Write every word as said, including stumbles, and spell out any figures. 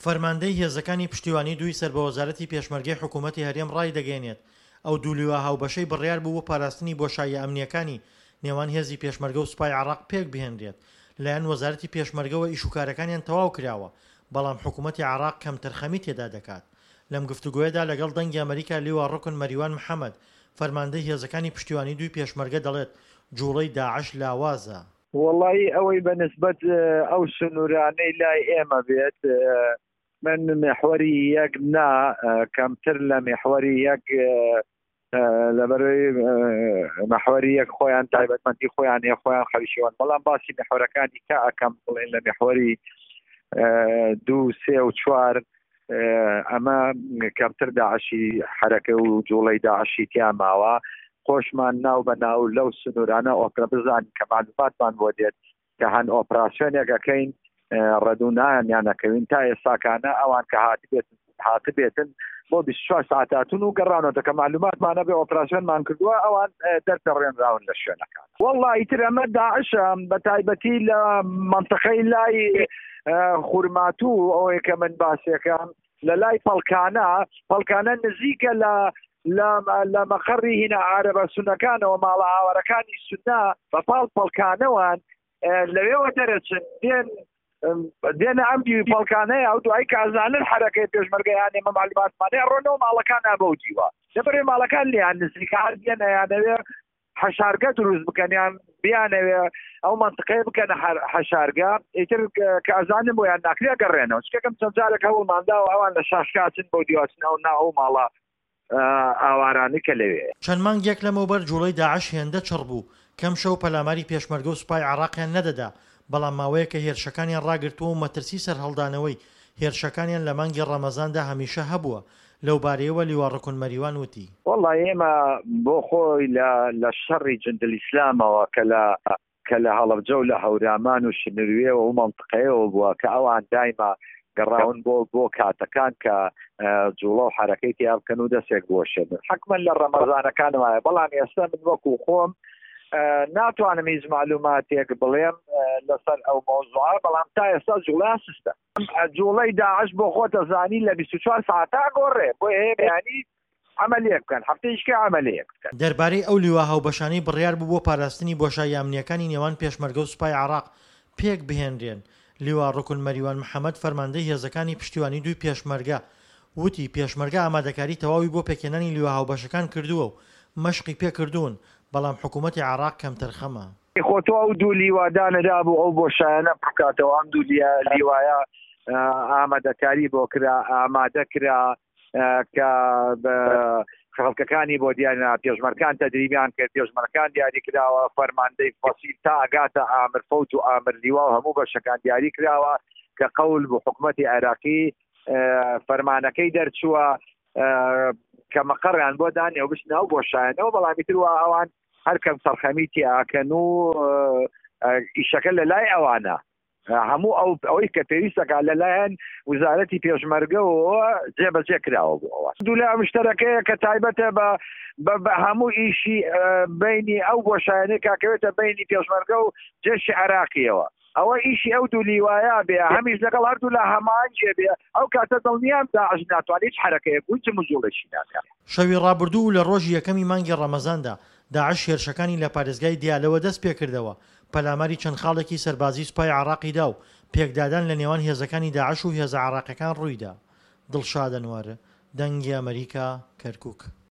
فەرماندەی هێزەکانی پشتیوانی دووی سەر بە وەزارەتی پێشمەرگەی حکوومەتی هەرێم ڕایدەگەیەنێت، ئەو دوو لیوا هاوبەشەی بڕیار بوو بۆ پاراستنی بۆشاییە ئەمنییەکانی نێوان هێزی پێشمەرگە و سوپای عێراق پێکبهێنرێت، لایەن وەزارەتی پێشمەرگەوە ئیشوکارەکانیان تەواو کراوە، بەڵام حکوومەتی عێراق کەمتەرخەمی تێدا دەکات. لەم گفتوگۆیەدا لەگەڵ دەنگی ئەمەریکا لیوا ڕوکن مەریوان محەمەد، فەرماندەی هێزەکانی پشتیوانی دووی پێشمەرگە دەڵێت، جوڵەی داعش لاوازە. وەڵایی ئەوەی بە نسبەت ئەو سنوورانەی لای ئێمە بێت من میحوەری یەک نا کەمتر لە میحوەری یەک لەبەرەوەی مەحوەری یەک خۆیان تایبەتمەندی خۆیان هەیە خۆیان خەریکیوان بەڵام باسی میحوەرەکانی کە ئەکەم بڵێن لە میحوەری دوو سێ و چوار ئەمە کەمتر داعشی حرەکە و جوڵەی داعشی تیا ماوە خۆشمان ناو بە ناو لەو سنوورانە ئۆپرا بزانین کە معلوماتمان بۆ دێت کە هەن ئۆپراسیۆنێک ئەکەین ڕەدونایان نەکەوین تا ئێستاکانە ئەوان کە هاتبێت هاتبێتن بۆ بیست و چوار ساعت هاتون و گەڕانەوە کە معلوماتمانە بێ ئۆپراسیۆنمان کردووە ئەوان دەرپەڕێنراون لە شوێنەکان. والله ئیتر ئەمە داعشە بە تایبەتی لە منطقەی لای خورماتوو ئەوەیە کە من باسیەکەم لە لای پەڵکانە، پەڵکانە نزیکە لە لە مەقەڕی هینە عارەبە سونەکانەوە، ماڵە ئاوارەکانی سونە بە پاڵ پەڵکانەوان لەوێوە دەرەچن دێن دێنە ئەم دیوی پەڵکانەیە ئەو دوای کازانن حرەکەی پێشمەرگەیان ئێمە معلوماتمانەیە ڕۆنەوە ماڵەکان بەو دیوە لەبەرێ ماڵەکان لێیان نزیکە هەر دێنە یانەوێ حەشارگە دروست بکەن یان بیانەوێ ئەو منطقەیە بکەنە حەشارگە ئیتر کە ئەزانن بۆیان ناکرێ گەڕێنەوە. چکەکەم چەند جارێک هەوڵمانداوە ئەوان لە شاشکاچن بۆ دیواچن ئەو نا ئەو ماڵە ئاوارانی کە لەوێ. چەند مانگێک لەمەوبەر جوڵەی داعش هێندە چڕ بوو کەم شەو پەلاماری پێشمەرگە و سوپای عێراقیان نەدەدا، بەڵام ماوەیەکە هێرشەکانیان ڕاگرتووە و مەترسی سەرهەڵدانەوەی هێرشەکانیان لە مانگی ڕەمەزاندا هەمیشە هەبووە. لەو بارەیەوە لیوا ڕکن مەریوان وتی: وەڵڵا ئێمە بۆ خۆی لە شەڕی جندل ئیسلامەوە کە لە کە لە هەڵەبجە و لە هەورامان و شنروێەوە و منطقەیەوە بووە کە ئەوان دایما گەڕاون بۆ بۆ کاتەکان کە جوڵە و حرەکەی تیا بکەن و دەستێک بۆشێنن حکمەن لە ڕەمەزانەکان وایە. بەڵام ئێستا من وەکو خۆم ناتوانم هیچ معلوماتێک بڵێم لەسەر ئەو مەوزوعە، بەڵام تا ئێستا جوڵە سستە. جوڵەی داعش بۆ خۆتە زانی لە بیست و چوار ساعتا گۆڕێ، بۆ هەیە بەیانی عملیەک بکەن، هەفتەیشکە عملیەک بکەن. دەربارەی ئەو لیوا هاوبەشانەی بڕیار بوو بۆ پاراستنی بۆشایی ئەمنیەکانی نێوان پێشمەرگە و سوپای عێراق پێک بهێنرێن، لیوا ڕکن مەریوان محەمەد فەرماندەی هێزەکانی پشتیوانی دووی پێشمەرگە وتی پێشمەرگە ئامادەکاری تەواوی بۆ پێکهێنانی لیوا هاوبەشەکان کردووە و مەشقی پێکردوون، بەڵام حکوومەتی عێراق کەمتەرخەمە. خۆ تۆ ئەو دوو لیوادانەدا بوو ئەو بۆشایانە بکاتەوە، ئەم دوو لیوایە ئامادەکاری بۆ کرا، ئامادە کرا کە خەڵکەکانی بۆ دیارنا، پێشمەرکان تەدریبیان کرد، پێشمەرکان دیاری کراوە، فەرماندەی فەسیل تا ئەگاتە ئامر فەوج و ئامر لیوا و هەموو بەشەکان دیاری کراوە کە قەول بوو حکوومەتی عێراقی فەرمانەکەی دەرچووە کە مەقەڕیان بۆ دانێ و بچنە ئەو بۆشایانەوە، بەڵام ئیتر وا ئەوان هەر کەم سەرخەمی تیاکەن و ئیشەکە لە لای ئەوانە هەموو ئەو ئەوەی کە پێویستەکە لەلایەن وزارەتی پێشمەرگەوە جێبەجێ کراوە بۆ ئەوە. دوو لە مشتەرەکەیە کە تایبەتە بە هەموو ئیشی بینی ئەو بۆشایانەی کاکەوێتە بینی پێشمەرگە و جێشی عێراقیەوە، ئەوە ئیشی ئەو دوو لیوایە بێ، هەمیش لەگەڵ هەردوو لە هەمان جێ بێ، ئەو کاتە دڵنیام داعش ناتوانێت هیچ حرەکەیەک و هیچ مجوڵێکی ناکات. شەوی ڕابردوو و لە ڕۆژی یەکەمی مانگی ڕەمەزاندا داعش هێرشەکانی لە پارێزگای دیالەوە دەست پێکردەوە، پەلاماری چەند خاڵێکی سەربازی سوپای عێراقی دا و پێکدادان لە نێوان هێزەکانی داعش و هێزە عێراقیەکان ڕوویدا. دڵشاد ئەنوەر، دەنگی ئەمریکا، کەرکوک.